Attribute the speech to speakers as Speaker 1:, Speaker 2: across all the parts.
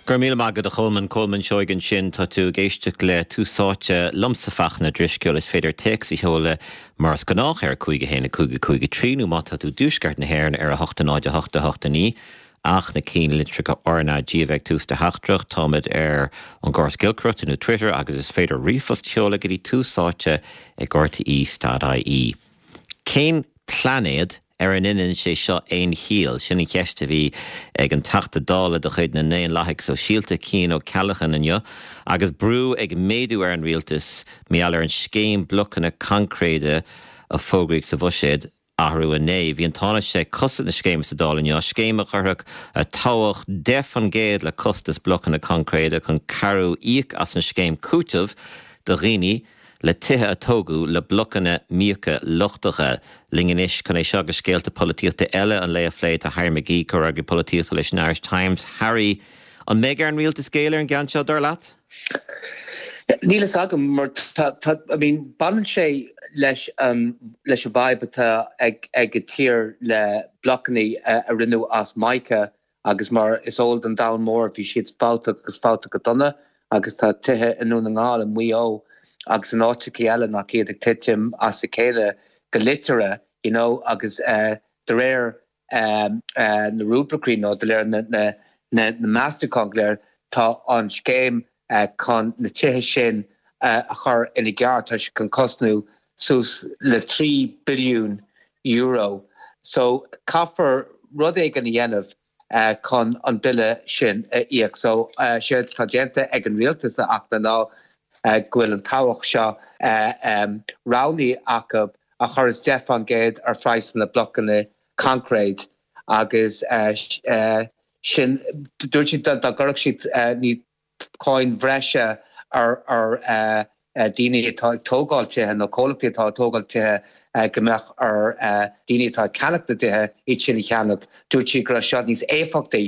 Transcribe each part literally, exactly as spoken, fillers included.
Speaker 1: Go raibh míle maith agat a Cholmáin Colmán Seoighe ansin tá tú ag éisteacht le Tús Áite liomsa Fachtna Drisceoil is féidir téacs a sheoladh mar is gnách ar cúig a haon a cúig a cúig a trí nó má tá tú i dtuaisceart na hÉireann ar a hocht a náid a hocht a hocht a naoi ach na ceannlitreacha RnaG a bheith tús do theachtaireacht táimid ar an gcóras giolcaireachta nó Twitter agus is féidir ríomhphost a sheoladh go dtí tús áite ag RTÉ.ie. Cén pláinéad ar a ndéanann sé seo aon chiall sin an cheist a bhí ag an Teachta Dála de chuid na nDaonlathaithe Sóisialta Cian O'Callaghan inniu, agus brú ag méadú ar an rialtas maidir ar an scéim blocanna concréide a fógraíodh sa bhuiséad athrú inné. Bhí an Tánaiste ag cosaint na scéime sa Dáil inniu, scéim a chuirfeadh tobhach deich faoin gcéad le costas blocanna concréide chun cabhrú íoc as an scéim cúitimh do dhaoine le tithe a tógadh le blocanna míoca lochtacha. Linn anois chun é seo agus scéalta polaitíochta eile an lae a phlé tá Harry McGee comhfhreagraí polaitíochta leis an Irish Times. Harry, an mbeidh ar an rialtas géilleadh ar an gceann seo dar leat?
Speaker 2: Níl a fhios agam mar I mean baineann sé leis an leis an bhfadhb atá ag ag an tír le blocanna a rinneadh as mica agus mar is eol don domhan mór bhí siad fabhtach agus fabhtach go dona agus tá tithe i nDún na nGall i Maigh Eo agus in áiteacha eile nach iad ag titim as a chéile go liteartha you know agus uh, de réir um, uh, na ruairí nó de réir na, na, na, na meastachán go léir tá an scéim uh, chun na tithe sin uh, a chur ina gceart tá sé chun cosnú suas le trí billiún euro. So caithfear rud éigin a dhéanamh uh, chun an bille sin a íoc. So uh, sé tá déanta ag an rialtas ach ná uh, go bhfuil an tobhach seo uh, um, roghnaithe acu a chuir deich faoin gcéad ar phraghas na blocanna concrete agus uh, uh, sin dúirt siad dá gcuirfeadh siad uh, ní cáin bhreise ar ar uh, uh, daoine atá ag tógáil tithe nó comhlachtaí atá tógáil tithe uh, go mbeadh ar uh, daoine atá ceannach na dtithe iad sin a cheannach dúirt siad go raibh seo níos éifeachtaí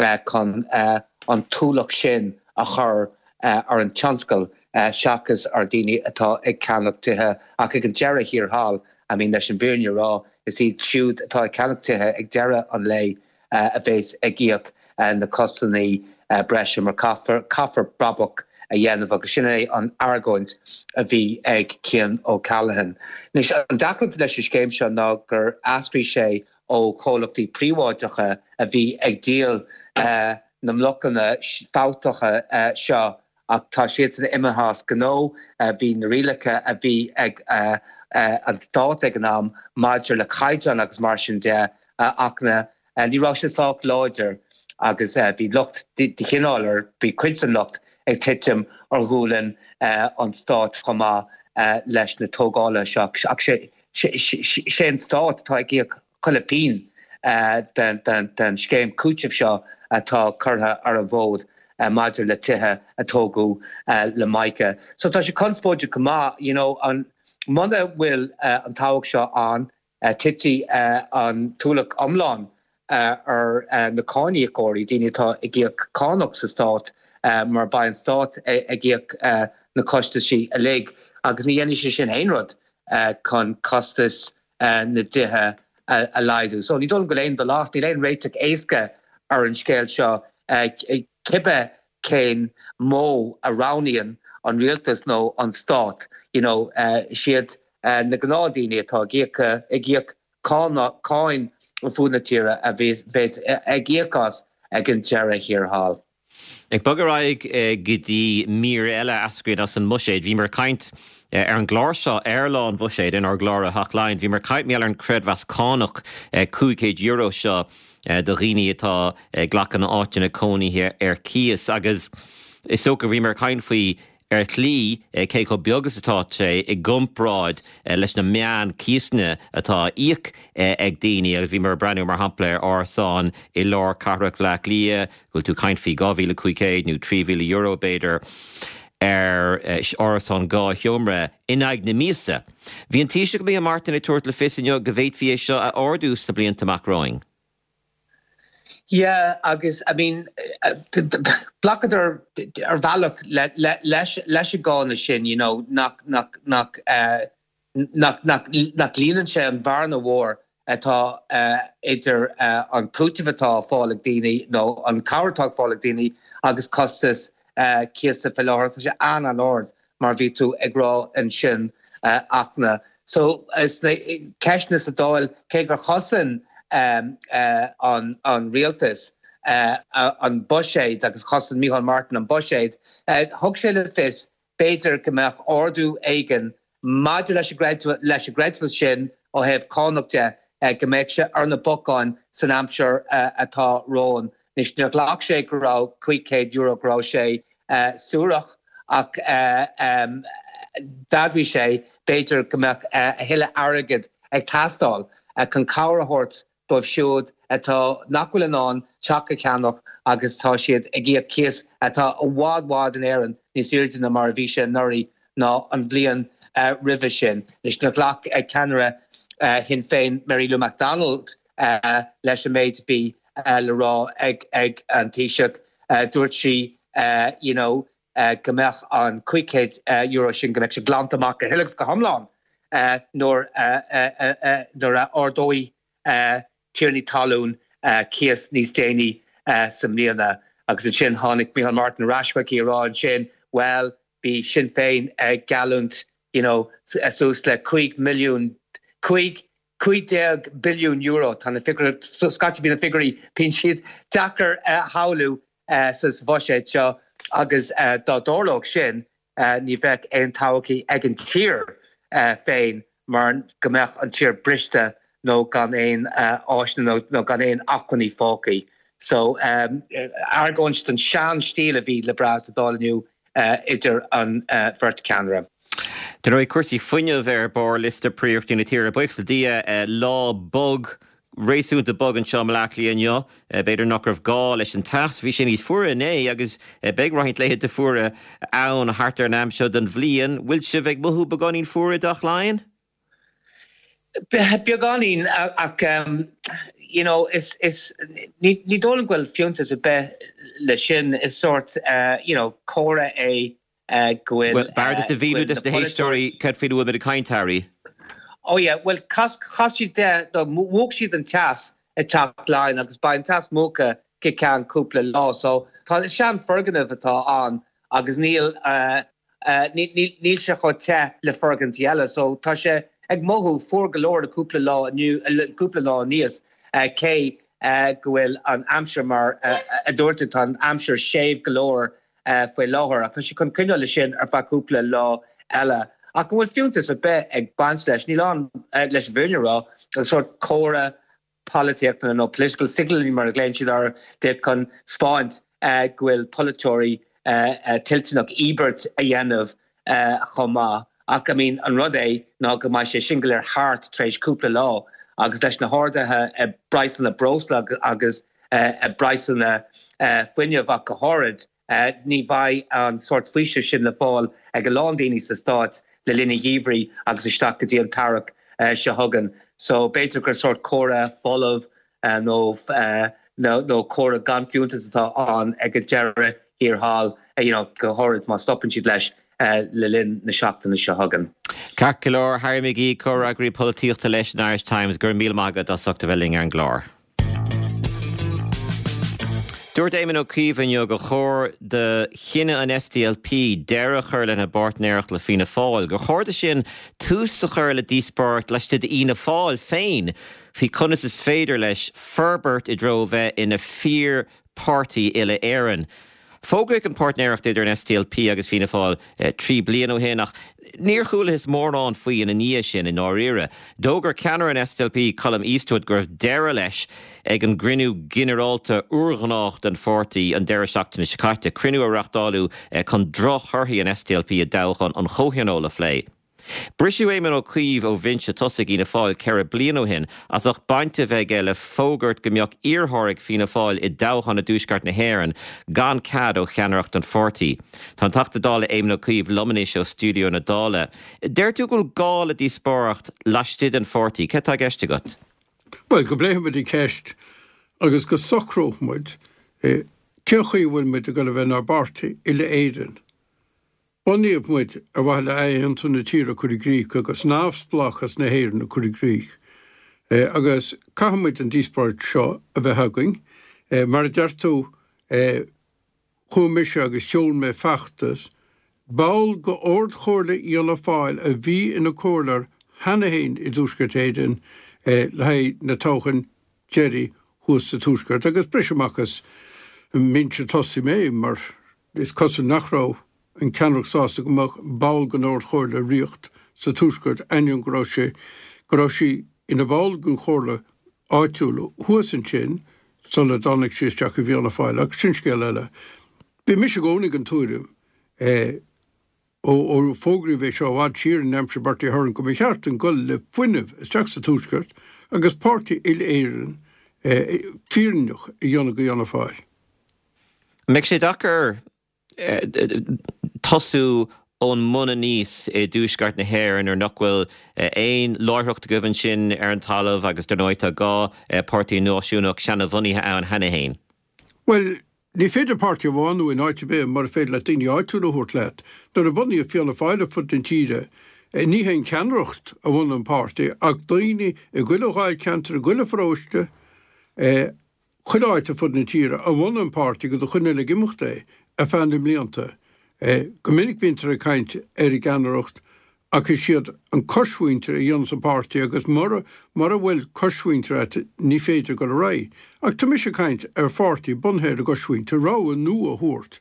Speaker 2: uh, chun uh, an t-ualach sin a chur uh, ar an tionscal uh, seachas ar daoine atá ag ceannach tithe ach ag an deireadh thiar thall I mean leis an bhfírinne a rá is iad siúd atá ag ceannach tithe ag deireadh an lae uh, a bheas ag íoc uh, na costanna uh, breise mar caithfear caithfear brabach a dhéanamh agus sin é an argóint a bhí ag Cian O'Callaghan. Anois an deacracht leis an scéim seo ná gur eascraigh sé ó chomhlachtaí príobháideacha a bhí ag díol uh, na mblocanna fabhtacha uh, seo ach tá siad san imithe as gnó uh, bhí na rialacha a bhí ag uh, uh, an stát ag an am maidir le caighdeán agus mar sin de uh, ach na uh, ní raibh sé sách láidir agus uh, bhí lucht de chineál ar bhí cuid den lucht ag titim ar ghualainn uh, an stát chomh maith uh, leis na tógála seo ach sé sé an stát atá ag íoc chuile phingin uh, den, den, den scéim cúitimh seo atá curtha ar an bhfód uh, maidir le tithe a tógadh uh, le mica. So tá sé conspóideach go maith you know, an muna bhfuil uh, an tobhach seo an uh, titfidh uh, an t-ualach iomlán uh, ar uh, na cáiníocóirí daoine atá ag íoc cánach sa stát uh, mar beidh an stát ag íoc uh, na costaisí uilig agus ní dhéanfaidh sé sin aon rud uh, chun costas uh, na dtithe uh, a laghdú. So ní dul go léon do last ní aon réiteach éasca ar an scéal seo uh, cibé cén modh a roghnaíonn an rialtas nó an stát you know, uh, siad uh, na gnáthdhaoine atá ag íoc ag íoc cáin fud na tíre a bheas ag íoc as ag an deireadh thiar thall.
Speaker 1: Ag bogadh ar aghaidh go dtí mír eile a eascraíonn as an mbuiséad, bhíomar ag caint ar an gclár seo ar lá an bhuiséid in ár gclár Hotline, bhíomar ag caint ar an creidmheas cánach cúig chéad euro seo do dhaoine atá ag glacadh áiteanna cónaithe ar cíos agus is dócha bhíomar ag caint faoi ar shlí cé chomh beag is atá sé i gcomparáid leis na meán cíosanna atá á íoc ag daoine agus bhíomar ag breathnú mar shampla ar árasán i lár cathrach Bhaile Átha Cliath, go bhfuil tú ag caint faoi dhá mhíle cúig chéad nó trí mhíle euro b'fhéidir ar árasán dhá sheomra in aghaidh na míosa. Bhí an Taoiseach Micheál Martin ag tabhairt le fios inniu go bhféadfaí é seo a ardú sna blianta amach romhainn.
Speaker 2: Yeah, agus I mean glacadar ar bhealach leis leis an gcáineadh sin you know nach nach nach uh, nach nach nach líonann sé an bhearna mhór atá idir an cúiteamh atá á fáil ag daoine nó an cabhair atá á fáil ag daoine agus costas cíosa faoi láthair. Tá sé an-an-ard mar bhí tú ag rá ansin Fhachtna. So sna ceisteanna sa Dáil cé gur chosain an an rialtas an buiséad agus chosain Micheál Martin an buiséad, thug sé le fios b'fhéidir go mbeadh ardú éigin maidir leis an leis an gcreidmheas sin ó thaobh cánach de, go mbeadh sé ar na bacáin san aimsir atá romhainn. Anois níor ghlac sé go raibh cúig chéad euro go raibh sé suarach ach d'admhaigh sé b'fhéidir go mbeadh a thuilleadh airgid ag teastáil chun cabhair a thabhairt dóibh siúd atá nach bhfuil in ann teach a cheannach agus tá siad ag íoc cíos atá i bhfad bhfad in Éirinn níos airde ná mar a bhí sé anuraidh ná an bhliain roimhe sin. Anois níor ghlac ceannaire Shinn Féin Mary Lou McDonald leis an méid a bhí le rá ag ag an Taoiseach. Dúirt sí you know go mbeadh an cúig chéad euro sin go mbeadh sé glanta amach go huile agus go hiomlán nuair nuair a ardóidh tiarnaí talún cíos níos déanaí sa mbliana. Agus ansin tháinig Micheál Martin ar ais chuici a rá ansin bhuel bhí Sinn Féin ag geallúint you know suas le cúig milliún cúig cúig déag billiún euro tá na figiúirí scaití bíonn na figiúirí bíonn siad deacair a shamhlú sa bhuiséad seo agus dá dtarlódh sin ní bheadh aon todhchaí ag an tír féin mar go mbeadh an tír briste nó gan aon áiseanna nó gan aon acmhainní fágtha. So argóint den sean-stíl a bhí le brath sa Dáil inniu idir an bheirt cheannaire.
Speaker 1: Dar ndóigh, cúrsaí fuinnimh ar barr liosta príorachtaí na tíre. Buíochas le Dia, lá bog, réasúnta bog anseo i mBaile Átha Cliath inniu. B'fhéidir nach raibh gá leis an teas. Bhí sé níos fuaire inné agus beidh roinnt laethanta fuara ann thart ar an am seo den bhliain. Bhfuil sibh ag mothú beagáinín fuar i dTeach Laighean?
Speaker 2: Beagáinín ach you know is is ní ní dóigh liom go bhfuil fiúntas ar bith leis sin is sórt you know comhartha é go bhfuil
Speaker 1: Bhuel, b'fhearr duit a mhíniú dos na héisteoirí cad faoina bhfuil muid ag caint, Harry.
Speaker 2: Oh yeah, bhuel chas chas siad de mhúch siad an teas i dTeach Laighean agus beidh an teas múchta go ceann cúpla lá so tá sean foirgneamh atá ann agus níl níl sé chomh te le foirgintí eile so tá sé ag mothú fuar go leor le cúpla lá inniu cúpla lá aníos cé go bhfuil an aimsir mar a dúirt tú tá an aimsir séimh go leor faoi láthair ach tá sé chun coinneáil leis sin ar feadh cúpla lá eile. Ach an bhfuil fiúntas ar bith ag baint leis? Níl ann leis an bhfírinne a rá, an sórt comhartha polaitíochta nó political signalling mar a ghlaonn siad air de chun 'spáint go bhfuil polaiteoirí toilteanach íobairt a dhéanamh chomh maith. Ach I mean an rud é ná go mbeidh sé sin go léir thart tar éis cúpla lá agus leis na harduithe i bpraghsanna breosla agus i bpraghsanna fuinnimh ach go háirid, ní bheidh an sórt faoiseamh sin le fáil ag a lán daoine sa Stát le linn an gheimhridh agus isteach go dtí an t-earrach seo chugainn. So b'fhéidir gur sórt comhartha folamh nó nó comhartha gan fiúntas atá ann ag an deireadh thiar thall, you know, go háirid má stopann siad leis le linn na seachtaine seo chugainn.
Speaker 1: Ceart go leor, Harry McGee, Comhfhreagraí Polaitíochta leis an Irish Times, go raibh míle maith agat as ucht a bheith linn ar an gclár. Dúirt Éamon Ó Cuív inniu gur chóir do chinneadh an SDLP deireadh a chur lena bpáirtnéireacht le Fianna Fáil, gur chóir dó sin tús a chur le díospóireacht laistigh d'Fhianna Fáil féin faoi conas is féidir leis forbairt i dtreo bheith ina fíor-pháirtí uile-Éireann. Fógraíodh an páirtnéireacht idir an SDLP agus Fianna Fáil trí bliana ó shin ach níor chualathas mórán faoi ina ndiaidh sin i ndáiríre. D'fhógair ceannaire an SDLP Colum Eastwood go raibh deireadh leis ag an gcruinniú ginearálta urghnách den pháirtí an deireadh seachtaine seo caite, cruinniú a reáchtáladh chun drochthorthaí an SDLP i dtoghchán an Chomhthionóil a phlé. Briseadh Éamon Ó Cuív ó bhinse tosaigh Fhianna Fáil ceithre bliana ó shin as ucht baint a bheith aige le fógairt go mbeadh iarrthóir ag Fianna Fáil i dtoghchán i dTuaisceart na hÉireann gan cead ó cheannaireacht an pháirtí. Tá an Teachta Dála Éamon Ó Cuív liom anois ó stiúideo na Dála. Deir tú go bhfuil gá le díospóireacht laistigh den pháirtí. Céard atá i gceist agat?
Speaker 3: Bhuel, go bpléifidh muid an cheist agus go socróidh muid cén chaoi a bhfuil muid ag dul a bheith inár bpáirtí uile-Éireann. Bunaíodh muid ar mhaithe le athaontú na tíre a chur i gcrích agus neamhspleáchas na hÉireann a chur i gcrích. Agus caithfidh muid an díospóireacht seo a bheith againn. Mar a deir tú, chuaigh mise agus sheol mé feachtas, ball de Ard-Chomhairle Fhianna Fáil a bhí ina comhairleoir cheana féin i dTuaisceart Éireann le haghaidh na toghcháin deiridh thuas sa Tuaisceart agus briseadh amach as an mbinse tosaigh mé mar is cosúil nach raibh an ceannaireacht sásta go mbeadh ball den Ard-Chomhairle ríocht sa Tuaisceart ainneoin go raibh sé go raibh sí ina ball den chomhairle áitiúil thuas ansin sula dtáinig sí isteach i bhFianna Fáil ach sin scéal eile. Bhí mise i gcónaí den tuairim ó ó fógraíodh é seo i bhfad siar in aimsir Bertie Ahern go mba cheart dúinn dul le fuinneamh isteach sa Tuaisceart agus páirtí uile-Éireann fírinneach a dhéanamh de Fhianna Fáil.
Speaker 1: An mbeidh sé deacair tosú ón mbun aníos i dtuaisceart na hÉireann nuair nach bhfuil aon láithreacht agaibh ansin ar an talamh agus dar ndóigh tá dhá páirtí náisiúnach seanabhunaithe ann cheana féin?
Speaker 3: Bhuel, ní féidir páirtí a bhunú in áit ar bith mura féidir leat daoine áitiúla a thabhairt leat. Nuair a bunaíodh Fianna Fáil ar fud na tíre, ní hé an ceannaireacht a bhunaigh an páirtí ach daoine i gcuile dháilcheantar, i gcuile pharóiste, chuile áit ar fud na tíre a bhunaigh an páirtí agus a choinnigh ag imeacht é ar feadh na mblianta. Go minic bíontar ag caint ar an gceannaireacht ach is iad an coismhuintir a dhéanas an páirtí agus mura mura bhfuil coismhuintir agat ní féidir dul ar aghaidh. Ach tá mise ag caint ar pháirtí bunaithe ar an gcoismhuintir, rogha nua a thabhairt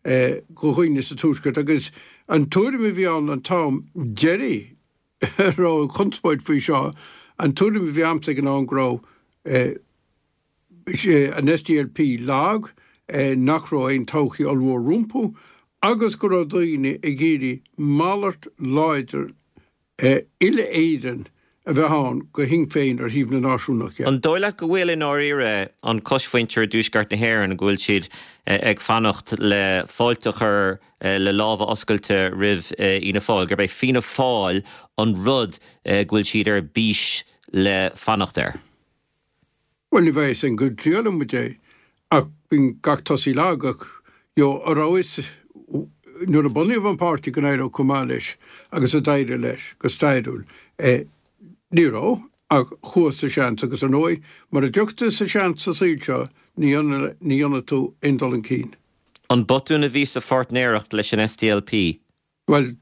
Speaker 3: do dhaoine sa Tuaisceart agus an tuairim a bhí ann an t-am deiridh a raibh an chonspóid faoi seo, an tuairim a bhí a'msa ag an am go raibh an SDLP lag, nach raibh aon todhchaí ollmhór rompu agus go raibh daoine ag iarraidh malairt láidir uile-Éireann a bheith ann go Shinn Féin ar thaobh na náisiúnach
Speaker 1: de. An dóigh leat go bhfuil i ndáiríre an coismhuintir i dtuaisceart na hÉireann, go bhfuil siad ag fanacht le fáilte a chur le lámha oscailte roimh Fhianna Fáil, gurb é Fianna Fáil an rud go bhfuil siad ar bís le fanacht air?
Speaker 3: Bhuel, ní bheidh a fhios againn go dtriailfidh muid é, ach bíonn gach tosaí lag, ach you know, an raibh a fhios nuair a bunaíodh an páirtí go n-éireodh chomh maith leis agus a d'éirigh leis go stairiúil. Ní raibh, ach chuathas sa seans agus ar ndóigh, mura dtiocfaidh tú sa seans sa saol seo, ní dhéanfaidh tú aon dul chun cinn.
Speaker 1: An botún a bhí sa pháirtnéireacht leis an SDLP?
Speaker 3: Bhuel,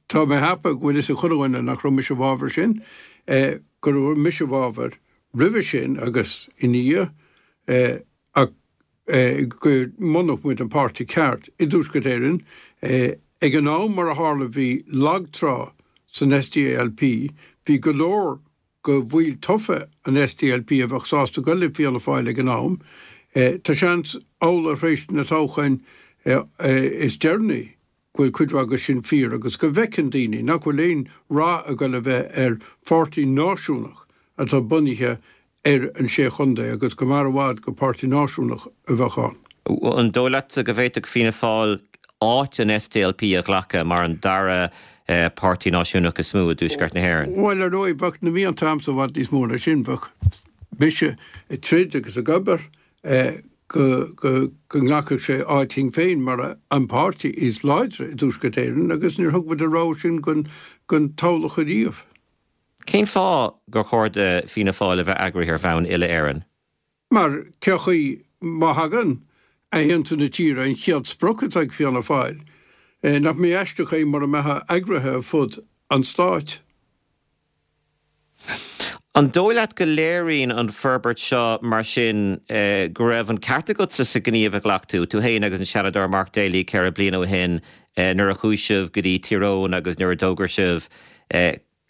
Speaker 3: tá mé ag ceapadh go bhfuil fhios ag chuile dhuine nach raibh mise i bhfabhar sin, go raibh mise i bhfabhar roimhe sin agus ina dhiaidh, ach go mbunódh muid an páirtí ceart i dTuaisceart Éireann. Ag an am, mar a tharla, bhí lagtrá san SDLP, bhí go leor de bhaill tofa an SDLP a bheadh sásta dul le Fianna Fáil ag an am. Tá seans amhlaidh tar éis na toghcháin is deireanaí go bhfuil cuid mhaith de sin fíor agus go bhfeiceann daoine nach bhfuil aon rath ag dul a bheith ar pháirtí náisiúnach atá bunaithe ar an Sé Chontae agus go mb'fhearr i bhfad go páirtí náisiúnach a bheadh ann.
Speaker 1: An dóigh leatsa go bhféadfadh Fianna Fáil áit an SDLP a ghlacadh mar an dara páirtí náisiúnach is mó i dTuaisceart na hÉireann?
Speaker 3: Bhuel, ar ndóigh, bheadh na mianta a'msa i bhfad níos mó ná sin. Bheadh mise ag troid agus ag obair go go nglacfadh sé áit Shinn Féin mar an páirtí is láidre i dTuaisceart Éireann agus níor thug muid an rogha sin don toghlach ariamh.
Speaker 1: Cén fáth gur chóir do Fianna Fáil a bheith eagraithe ar bhonn uile-Éireann?
Speaker 3: Mar cé chaoi, má thagann athaontú na tíre, an chéad sprioc atá ag Fianna Fáil, nach mbeadh aisteach é mura mbeifeá eagraithe ar fud an stáit?
Speaker 1: An dóigh leat go léiríonn an forbairt seo mar sin go raibh an ceart agatsa sa ghníomh a ghlac tú, tú féin agus an Seanadóir Mark Daly ceithre bliana ó shin nuair a chuaigh sibh go dtí Tír Eoghain agus nuair a d'fhógair sibh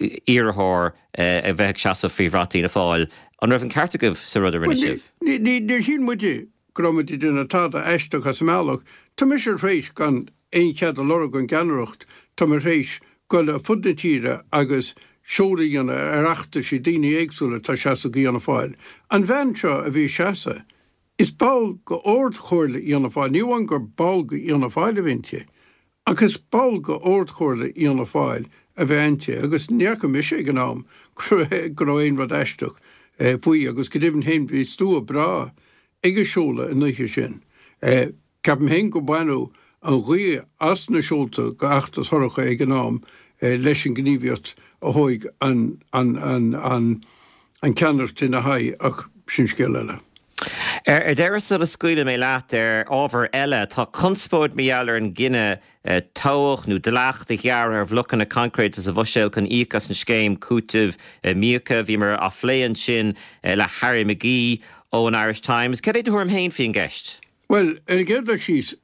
Speaker 1: iarrthóir a bheith ag seasamh faoi bhrat Fhianna Fáil. An raibh an ceart agaibh sa rud a rinne sibh?
Speaker 3: Níor shíl muide go raibh muid ag déanamh tada aisteach as an mbealach. Tá mise tar éis, gan aon chead a lorg ón gceannaireacht, tá mé tar éis dul ar fud na tíre agus seoladh a dhéanamh ar fheachtaisí daoine éagsúla atá ag seasamh do Fhianna Fáil. An bhean seo a bhí ag seasamh, is ball de Ard-Chomhairle Fhianna Fáil, ní amháin gur ball de Fhianna Fáil a bhí inti, ach is ball de Ard-Chomhairle Fhianna Fáil a bhí inti agus ní fhaca mise ag an am go raibh aon rud aisteach faoi agus go deimhin féin bhí slua breá ag an seoladh an oíche sin. Ceapaim féin go baineadh an ghaoth as na seolta do fheachtas Shorcha ag an am leis an gníomhaíocht a thóig an an ceannaireacht ina haghaidh ach sin scéal eile.
Speaker 1: Ar deireadh sula scaoilfidh mé leat ar ábhar eile, tá conspóid mar gheall ar an gcinneadh tobhach nó dleacht a ghearradh ar bhlocanna coincréite sa Bhuiséal chun íoc as an scéim cúitimh míoca. Bhíomar á phlé ansin le Harry McGee ó an Irish Times. Cad é do thuairim féin faoin gceist?
Speaker 3: Bhuel, ar an gcéad dul síos,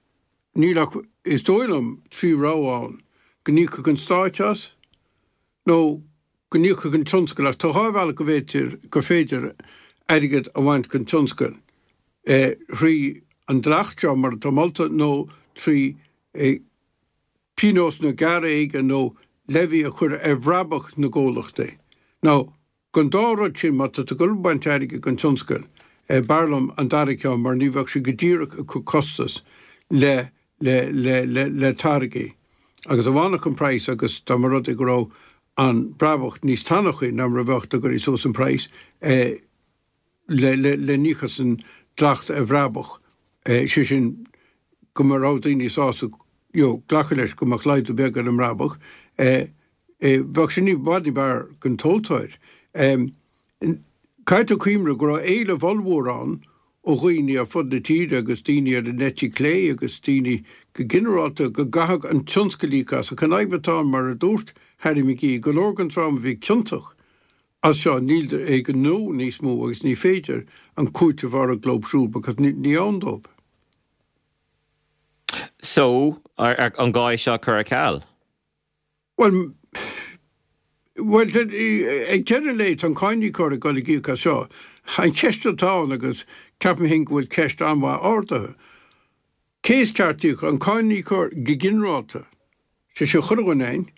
Speaker 3: níl ach, is dóigh liom, trí rogha ann, go n-íocfadh an Stát as nó go n-íocfadh an tionscal ach tá dhá bhealach go bhféidir, gur féidir airgead a bhaint den tionscal, thrí an dleacht seo mar atá molta nó trí pionós nó gearradh éigin nó levy a chur ar bhrabach na gcomhlachtaí. Now, den dá rud sin, má tá tú ag dul ag baint airgid den tionscal, b'fhearr liom an dara ceann mar ní bheadh sé go díreach ag cur costas le le le le le táirgí. Agus dá bhfanfadh an praghas agus dá mba rud é go raibh an brabach níos tanachaí ná mar a bheadh dá gcuirfí suas an praghas le le le n-íoc as an dleacht ar bhrabach, sé sin go mba raibh daoine sásta you know glacadh leis go mbeadh laghdú beag ar an mbrabach, bheadh sin i bhfad ní b'fhearr don tomhaltóir. Caithfidh tú cuimhneamh go raibh éileamh ollmhór ann ó dhaoine ar fud na tíre agus daoine ar an eite chlé agus daoine go ginearálta go gcaithfeadh an tionscal íoc as. Ach an fhadhb atá ann, mar a dúirt Harry McGee, go leor den dream a bhí ciontach as seo níl ag an ngnó níos mó agus ní féidir an cúiteamh a lorg leo siúd because ní ann dóibh.
Speaker 1: So, an gá é seo a chur ar ceal?
Speaker 3: Bhuel, bhuel, ag deireadh an lae, tá an cáiníocóir ag dul ag íoc as seo. An cheist atá ann, agus ceapaim féin go bhfuil ceist an-mhaith ardaithe, cé is ceart íoc, an cáiníocóir go ginearálta, sé sin chuile dhuine againn,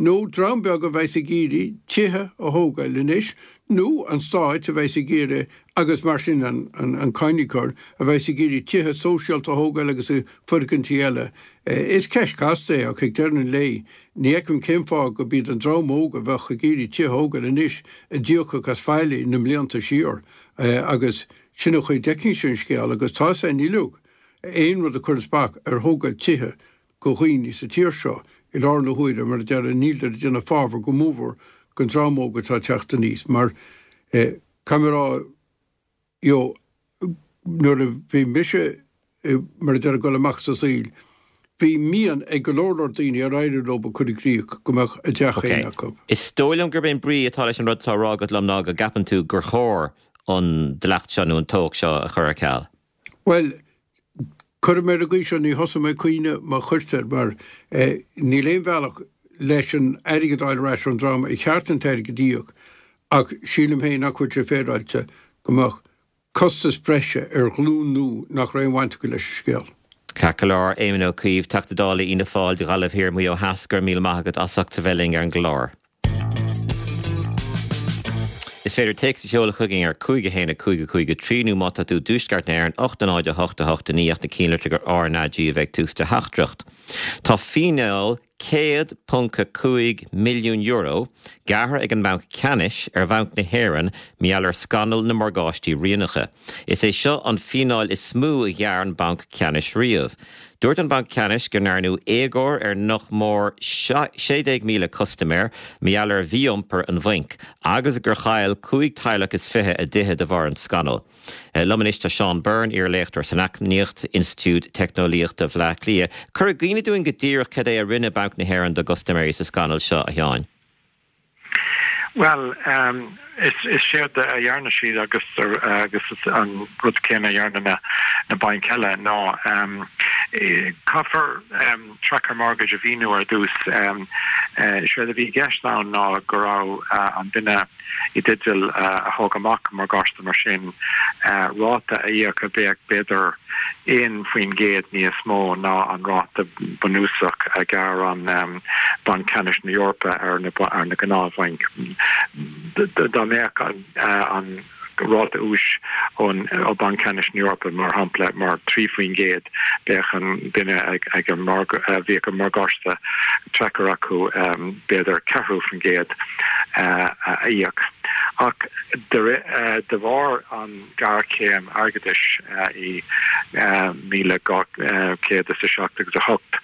Speaker 3: nó dream beag a bheas ag iarraidh tithe a thógáil anois, nó an Stát a bheas ag iarraidh, agus mar sin an cáiníocóir, a bheas ag iarraidh tithe sóisialta a thógáil agus foirgintí eile. Is ceist chasta é ach ag deireadh an lae ní fheicim cén fáth go b'iad an dream óg a bheadh ag iarraidh tithe a thógáil anois a d'íocfadh as faillí na mblianta siar agus sin an chaoi a bhfeicimse an scéal agus tá 's againn uilig aon rud a chuireas bac ar thógáil tithe go dhaoine sa tír seo i láthair na huaire, mar a déarfá, níltear ag déanamh fabhar go mórmhór don dream óg atá ag teacht aníos mar caithfidh mé a rá you know nuair a bhí mise mar a déarfá ag dul amach sa saol bhí mian ag go leor leor daoine ar éirigh leo a chur i gcrích go mbeadh a dteach féin acu.
Speaker 1: Is dóigh liom gurb é an brí atá leis an rud atá á rá agat liom ná go gceapann tú gur chóir an dleacht seo nó an tobhach seo a chur ar ceal.
Speaker 3: Bhuel, Cuirfidh mé ar an gcaoi seo, ní thosóidh mé ag caoineadh má chuirtear, mar níl aon bhealach leis an airgead a fháil ar ais ón dream ar cheart an t-airgead a íoc, ach sílim féin nach bhfuil sé féaráilte go mbeadh costas breise ar ghlúin nua nach raibh aon bhaint acu leis an scéal.
Speaker 1: Ceart go leor, Éamon Ó Cuív, Teachta Dála Fhianna Fáil do Ghaillimh Thiar, Maigh Eo Theas, go raibh míle maith agat as ucht a bheith linn ar an gclár. Is féidir téacs a sheoladh chugainn ar cúig a haon a cúig a cúig a trí nó má tá tú i dTuaisceart na hÉireann, ocht a náid a hocht a hocht a naoi ach na cinnlitreacha R na G a bheith ag tús do theachtaireacht. Tá fíneáil céad ponc a cúig milliún euro gearrtha ag an mBanc Ceannais ar Bhanc na hÉireann mar gheall ar scannal na morgáistí rianacha. Is é seo an fíneáil is mó a ghearr an Banc Ceannais riamh. Dúirt an Banc Ceannais go ndearnadh éagóir ar nach mór sé déag míle custaiméir mar gheall ar mhí-iompar an bhainc agus gur chaill cúig teaghlach is fiche a dtithe de bharr an scannail. Liom anois tá Seán Byrne, iar-léachtóir san Eacnamaíocht, Institiúid Teicneolaíochta Bhaile Átha Cliath. Cuir i gcuimhne dúinn go díreach cad é a rinne Banc na hÉireann dá gcustaiméirí sa scannal seo, a Sheáin.
Speaker 4: Bhuel, is séard a dhearna siad agus agus an rud céanna a dhearna na na bainc eile ná caithfear tracker mortgage a mhíniú ar dtús. Séard a bhí i gceist ann ná go raibh an duine i dteideal a thóg amach morgáiste mar sin ráta a íoc a bheadh b'fhéidir aon faoin gcéad níos mó ná an ráta bunúsach a ghearr Banc Ceannais na hEorpa ar na ar na gnáthbhainc. Dá mbeadh an ráta úis ón ó Banc Ceannais na hEorpa, mar shampla, mar trí faoin gcéad, bheadh an duine ag ag an bhíodh an morgáiste tracker acu b'fhéidir ceathrú faoin gcéad a íoc. Ach de bharr an ghéarchéim airgeadais i míle dhá chéad is a seacht agus a hocht,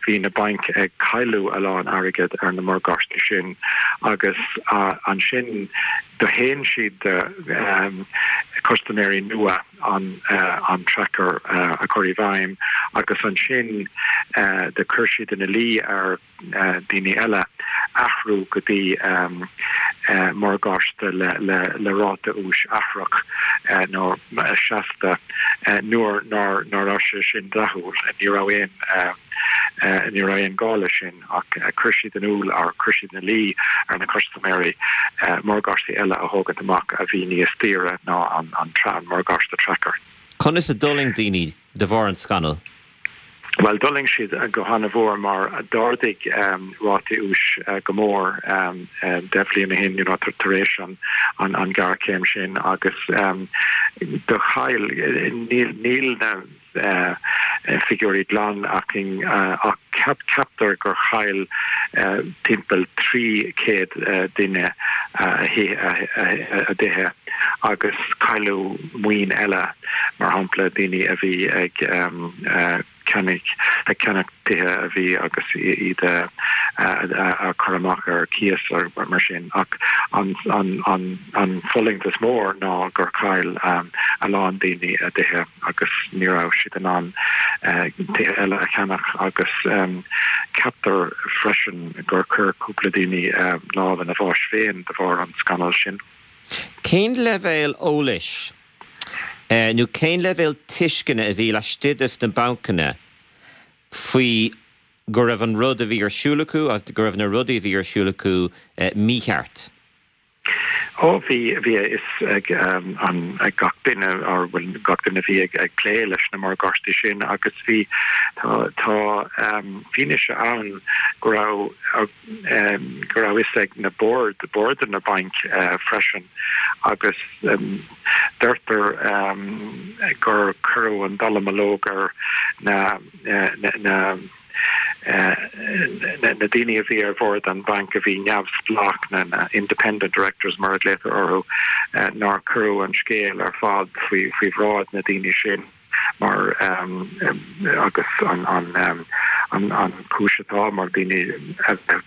Speaker 4: bhí na bainc ag cailleadh a lán airgead ar na morgáistí sin agus ansin do shéan siad de custaiméirí nua an an tracker a chur i bhfeidhm agus ansin do chuir siad ina luí ar daoine eile athrú go dtí morgáiste le le le ráta úis athrach nó seasta nuair nár nár raibh sé sin dleathúil ní raibh aon ní raibh aon gá leis sin ach chuir siad in iúl ar chuir siad ina luí ar na custaiméirí morgáistí eile a thógaint amach a bhí níos daoire ná an an an morgáiste tracker.
Speaker 1: Conas a d'fhulaing daoine de bharr an scannail?
Speaker 4: Well d'fhulaing siad go han-mhór mar d'ardaigh um, rátaí úis uh, go mór um, uh, deich mbliana ó shin you know, tar éis an, an, an ghéarchéim sin agus um, do chaill níl, níl na uh, figiúirí glan againn uh, ach ceap, ceaptar gur chaill uh, timpeall trí chéad uh, duine uh, a dtithe agus cailleadh maoin eile mar shampla daoine a bhí ag um, uh, ceannach ag ceannach tithe a bhí agus iad a chur amach ar cíos mar sin ach an an an an fulaingt is mó ná gur chaill um, a lán daoine a dtithe agus ní raibh siad in ann uh, tithe eile a cheannach agus um, ceaptar freisin gur chuir cúpla daoine uh, lámh ina bhás féin de bharr an scannal sin.
Speaker 1: Cén leibhéal eolais uh, nó cén leibhéal tuisceana a bhí laistigh de na bancanna faoi go raibh an rud a bhí ar siúl acu agus go raibh na rudaí a bhí ar siúl acu uh, mícheart.
Speaker 4: Ó bhí bhí a fhios ag um, an ag gach duine ar bhfuil gach duine bhí ag, ag plé leis na morgáistí sin agus bhí tá tá um, fianaise ann go raibh um, go raibh fhios ag na board board na bainc uh, freisin agus um, deirtear um, gur cuireadh an dallamullóg ar na na, na Uh, na, na daoine a bhí ar bhord an banc a bhí neamhspleách na, na independent directors mar a glaotar orthu uh, nár cuireadh an scéal ar fad faoi faoi bhráid na daoine sin mar um, um, agus an an um, an an chúis atá mar daoine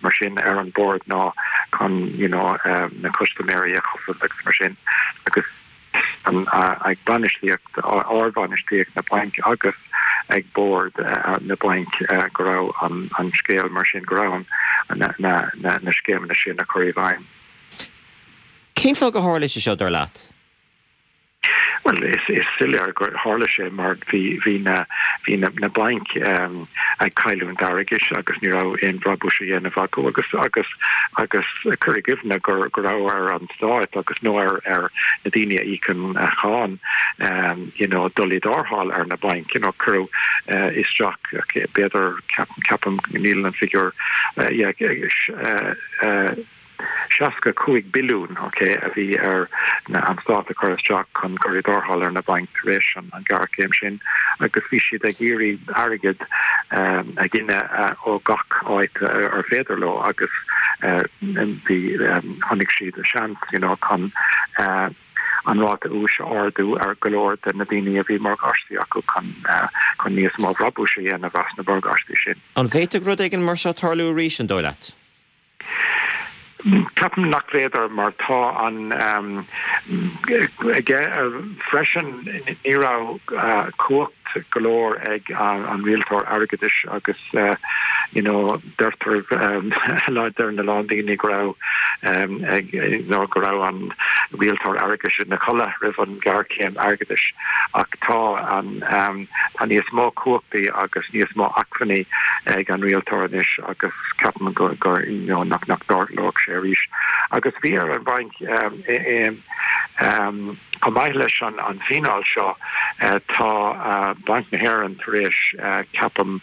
Speaker 4: mar sin ar an board ná chun you know um, na custaiméirí a chosaint agus mar sin agus an uh, ag bainistíocht ardbhainistíocht na bainc agus ag board uh, na bainc uh, go raibh an, an scéal mar sin go raibh na, na, na, na scéimeanna sin a chur i bhfeidhm.
Speaker 1: Cén fáth gur tharla sé seo dar leat?
Speaker 4: Well is is soiléir gur tharla sé mar bhí bhí na bhí na, na bainc um, ag cailliúint airgid agus ní raibh aon bhrabús á dhéanamh acu agus agus agus cuir i gcuimhne gur go raibh ar an stát agus nó ar ar na daoine a íocann a cháin um, you know, dul i dtarrtháil ar na bainc you know, cuireadh uh, isteach okay, b'fhéidir ceapaim níl an figiúr uh, yeah, uh, uh, seasca cúig billiún okay, a bhí ar na an stát a chur isteach chun cur i dtarrtháil ar na bainc tar éis an an ghéarchéim sin agus bhí siad ag iarraidh airgead um, a ghineadh uh, ó gach áit ar féidir leo agus uh, bhí um, chonaic siad a seans you know, chun uh, an ráta úis a ardú ar go leor de na daoine a bhí morgáistí acu chun uh, chun níos mó brabúis a dhéanamh as na morgáistí sin.
Speaker 1: An bhféadfadh rud éigin mar seo tarlú arís an dóigh leat?
Speaker 4: Ceapaim nach féidir mar tá an um, aige freisin ní raibh uh, cumhacht go leor ag an, an rialtóir airgeadais agus uh, you know deirtear um, deir na lán daoine go raibh um, ag nó go raibh an rialtóir airgeadais ina chodladh roimh an ghéarchéim airgeadais ach tá an um, tá níos mó cumhachtaí agus níos mó acmhainní ag an rialtóir anois agus ceapaim go go you know, nach nach dtarlódh sé arís agus bhí ar an banc um, um, um, chomh maith leis an an fíneáil seo uh, tá uh, Banc na hÉireann tar éis uh, ceapaim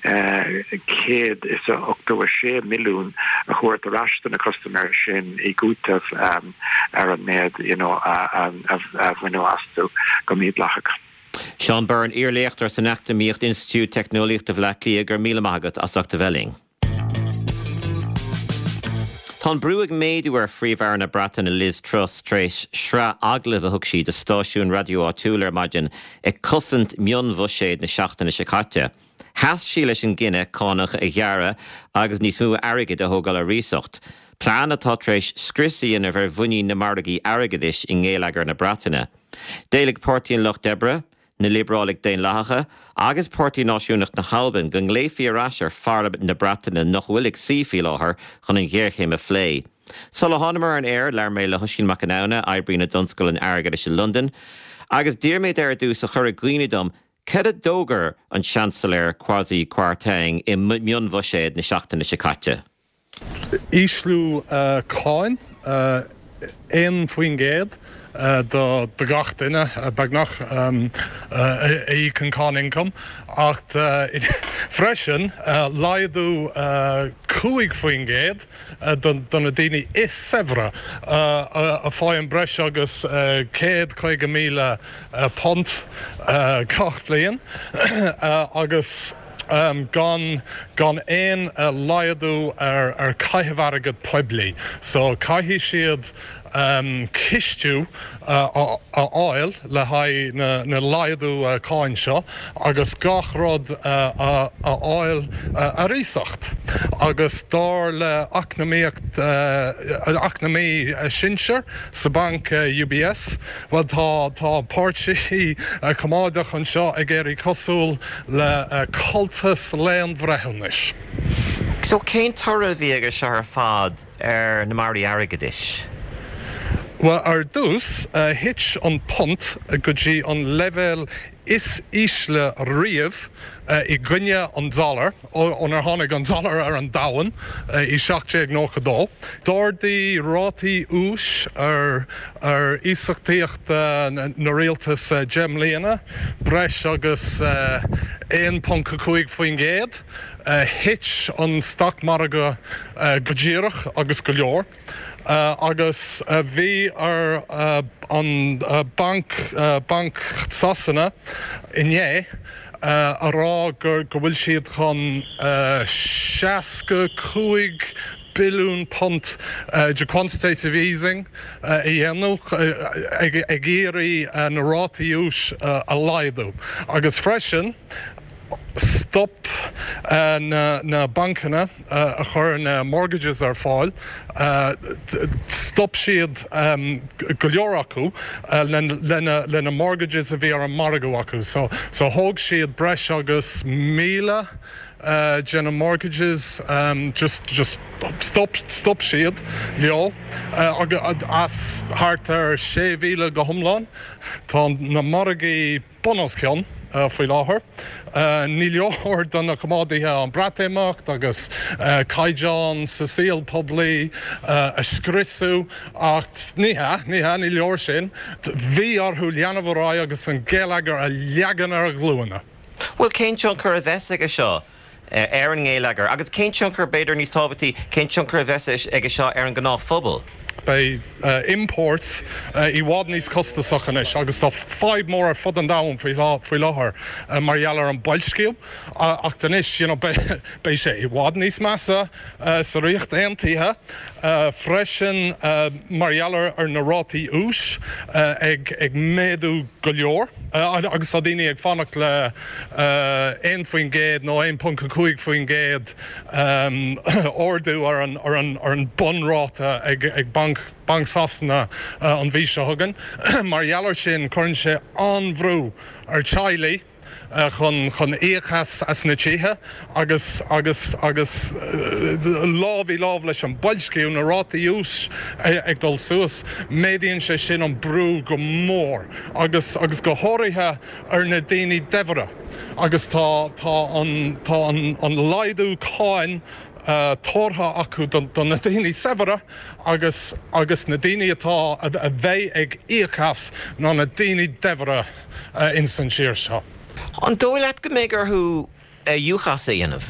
Speaker 4: céad is a ochtó a sé milliún a thabhairt ar ais do na custaiméirí sin i gcúiteamh um, ar an méid you know, a, a, a bhaineadh astu go mídhleathach.
Speaker 1: Seán Byrne iar-léachtóir san Eacnamaíocht Institiúid Teicneolaíochta Bhaile Átha Cliath go raibh míle maith agat as ucht a bheith linn. Tá an brú ag méadú ar Phríomh-Aire na Breataine Liz Truss tar éis sraith agallamh a thug sí do stáisiún raidió áitiúil ar maidin ag cosaint mionbhuiséad na seachtaine seo caite. Sheas sí leis an gcinneadh cánach a ghearradh agus níos mó airgid a thógáil ar iasacht. Plean atá tar éis scrios a dhéanamh ar mhuinín na margaí airgeadais i ngeilleagar na Breataine. D'éiligh Páirtí an Lucht Oibre, na Liobrálaigh Daonlathacha agus Páirtí Náisiúnach na hAlban go nglaofaí ar ais ar Pharlaimint na Breataine nach bhfuil ag suí faoi láthair chun an ghéarchéim a phlé. Sula thánamar ar an aer labhair mé le hOisín Mac Conamhna, oibrí na dtionscal an airgeadais i Londain, agus d'iarr mé air ar dtús a chur i gcuimhne dom cad a d'fhógair an Seansailéir Kwasi Kwarteng i mionbhuiséad na seachtaine seo caite.
Speaker 5: Ísliú cáin aon faoin gcéad do gach duine beagnach a íocann cáin ioncaim ach freisin laghdú cúig faoin gcéad do na daoine is saibhre a fhaigheann breis agus céad caoga míle punt gach bliain agus gan gan aon laghdú ar ar chaitheamh airgead poiblí. So caithfidh siad cistiú a fháil le haghaidh na laghdú cáin seo agus gach rud a fháil ar iasacht. Agus dar le eacnamaíocht eacnamaí sinsir sa banc UBS, bhuel tá tá páirtí coimeádach anseo ag éirí cosúil le cultas léanbhreithiúnais.
Speaker 1: So cén toradh a bhí aige seo ar fad ar na margaí airgeadais?
Speaker 5: Well ar dtús thit an punt go dtí an leibhéal is ísle riamh i gcoinne an dollar ónar tháinig an dollar ar an domhan i seacht déag nócha dó. D'ardaigh rátaí úis ar ar iasachtaíocht na rialtas deich mbliana breis agus aon ponc a cúig faoin gcéad. Thit an stocmhargadh go díreach agus go leor. Agus bhí ar an Banc Banc Sasana inné a rá gur go bhfuil siad chun seasca cúig billiún punt de quantitative easing a dhéanamh ag iarraidh na rátaí úis a laghdú. Agus freisin stop na bancanna a chuir na mortgages ar fáil, stop siad go leor acu lena mortgages a bhí ar an margadh acu. So so thóg siad breis agus míle de na mortgages just just stop stop siad leo as thart ar sé mhíle go hiomlán. Tá na margaí bun os cionn faoi láthair. Ní leor do na coimeádaithe an Breatimeacht agus caighdeán sa saol poiblí a scriosadh ach ní hea, ní hea, ní leor sin. Bhí orthu leanamh ar aghaidh agus an geilleagar a leagan ar a ghlúine.
Speaker 1: Bhuel, cén tionchar a bheas aige seo ar an ngeilleagar agus cén tionchar, b'fhéidir níos tábhachtaí, cén tionchar a bheas aige seo ar an ngnáthphobal?
Speaker 5: Beidh imports i bhfad níos costasach anois agus tá fadhb mór ar fud an domhain faoi láthair mar gheall ar an boilsciú ach anois you know beidh sé i bhfad níos measa sa Ríocht Aontaithe freisin mar gheall ar na rátaí úis ag ag méadú go leor agus tá daoine ag fanacht le aon faoin gcéad nó aon ponc a cúig faoin gcéad ardú ar an ar an ar an bunráta ag ag Banc Banc Sasana an mhí seo chugainn. Mar gheall ar sin cuireann sé an-bhrú ar teaghlaigh chun chun íoc as as na tithe agus agus agus lámh i lámh leis an boilsciú, na rátaí úis ag dul suas, méadaíonn sé sin an brú go mór agus agus go háirithe ar na daoine daibhre agus tá tá an tá an an laghdú cáin tabhartha acu do na daoine saibhre agus agus na daoine atá a bheidh ag íoc as ná na daoine daibhre ins an tír seo.
Speaker 1: An dóigh leat go mbeidh orthu dúchas a dhéanamh?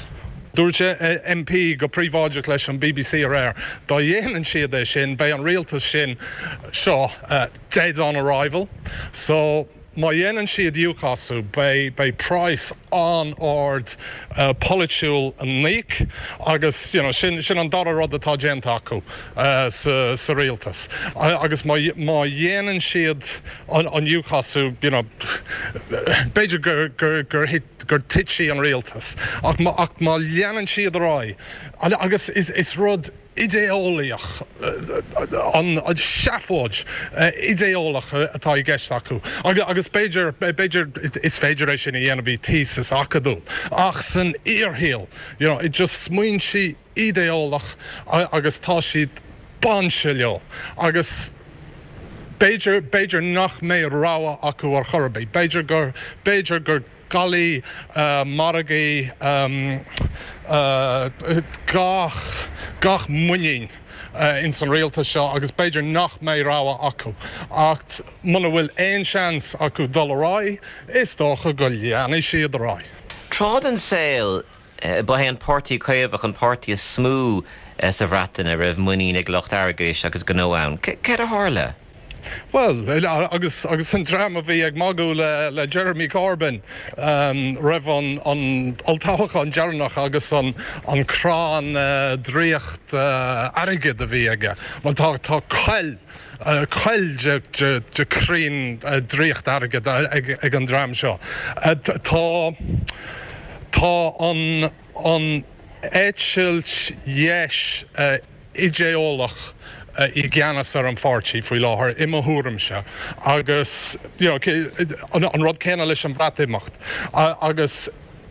Speaker 5: Dúirt MP go príobháideach leis an BBC aréir, dá dhéanann siad é sin, beidh an rialtas sin seo dead on arrival. So má dhéanann siad UKASú, beidh beidh praghas an-ard polaitiúil le n-íoc agus you know sin sin an dara rud atá déanta acu sa sa rialtas. Agus má má dhéanann siad an an UKASú, you know, b'fhéidir gur gur gur gur titfidh an rialtas. Ach má ach má leanann siad ar aghaidh agus is is rud idé-eolaíoch, an seafóid idé-eolach atá i gceist acu. Agus b'fhéidir, b'fhéidir, is féidir é sin a dhéanamh i thesis acadúil, ach san fhíorshaol, you know, just smaointe idé-eolach agus tá siad bainte leo. Agus b'fhéidir, b'fhéidir nach mbeidh rogha acu ar chor ar bith. B'fhéidir gur, b'fhéidir gur caillfidh margaí gach gach muinín ins an rialtas seo agus b'fhéidir nach mbeidh rogha acu. Ach muna bhfuil aon seans acu dul ar aghaidh, is dócha go leanfaidh siad ar aghaidh.
Speaker 1: Tráth den saol, ba é an Páirtí Caomhach an páirtí is mó sa Bhreatain a raibh muinín ag lucht airgeadais agus gnó ann. Céard a tharla?
Speaker 5: Bhuel, agus agus an dream a bhí ag magadh le le Jeremy Corbyn roimh an an olltoghchán deireanach agus an an crann draíocht airgid a bhí aige. Bhuel tá tá coill coill de de de chrainn draíocht airgid ag ag an dream seo. Tá tá an an eitilt dheis idé-eolach i gceannas ar an pháirtí faoi láthair, i mo thuairimse, agus you know an rud céanna leis an Bhreatimeacht. Agus